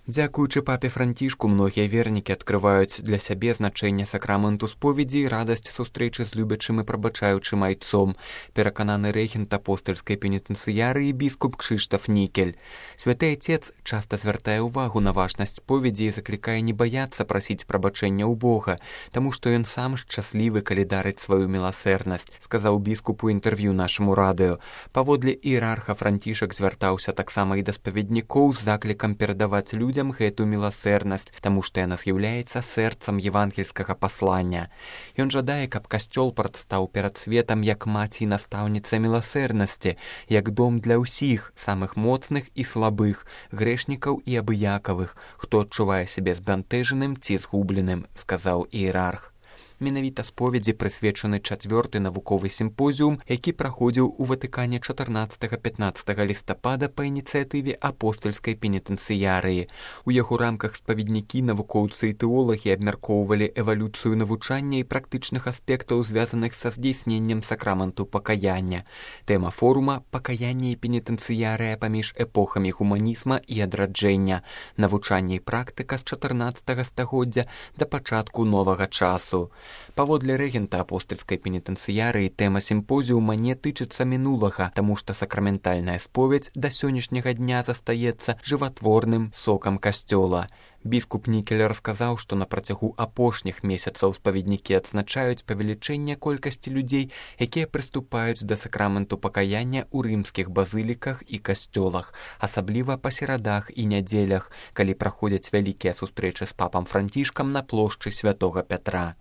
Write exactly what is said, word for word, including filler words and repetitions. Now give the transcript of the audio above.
Дзякуючы папе Францішку, многія вернікі адкрываюць для сябе значэнне сакраменту споведзі і радасць сустрэчы з любячым і прабачаючым айцом, перакананы рэгент апостальскай пенітэнцыярыі біскуп Кшыштаф Нікель. Святы Айцец часта звяртае ўвагу на важнасць споведзі і заклікае не баяцца прасіць прабачэння ў Бога, таму што ён сам шчаслівы, калі дарыць сваю міласэрнасць, сказаў біскуп у інтэрв'ю нашаму радыё. Паводле іерарха Францішак звяртаўся таксама і да спаведнікоў з заклікам перадаваць людзям гэту міласэрнасць, таму што яна з'яўляецца сэрцам евангельскага паслання. Ён жадае, каб касцёл прадстаў перад светам як маці і настаўніца міласэрнасці, як дом для ўсіх, самых моцных і слабых, грэшнікаў і абыякавых, хто адчувае сябе збянтэжаным ці згубленым, сказаў іерарх. Менавіта споведзі прысвечаны чацвёрты навуковы сімпозіум, які праходзіў у Ватыкане чатырнаццатага-пятнаццатага лістапада па ініцыятыве апостальскай пенітэнцыярыі. У яго рамках спаведнікі, навукоўцы і тэолагі абмяркоўвалі эвалюцыю навучання і практычных аспектаў, звязаных са здзейсненнем сакраменту пакаяння. Тэма форума «Пакаянне і пенітэнцыярыя паміж эпохамі гуманізма і адраджэння. Навучанне і практыка з чатырнаццатага стагоддзя да пачатку новага часу». Паводле рэгента апостальскай пенітэнцыярыі тэма сімпозіума не тычыцца мінулага, таму што сакраментальная споведзь да сённяшняга дня застаецца жыватворным сокам касцёла. Біскуп Нікель расказаў, што на працягу апошніх месяцаў спаведнікі адзначаюць павелічэнне колькасці людзей, якія прыступаюць да сакраменту пакаяння ў рымскіх базыліках і касцёлах, асабліва па серадах і нядзелях, калі праходзяць вялікія сустрэчы з папам Францішкам на плошчы святога Пятра.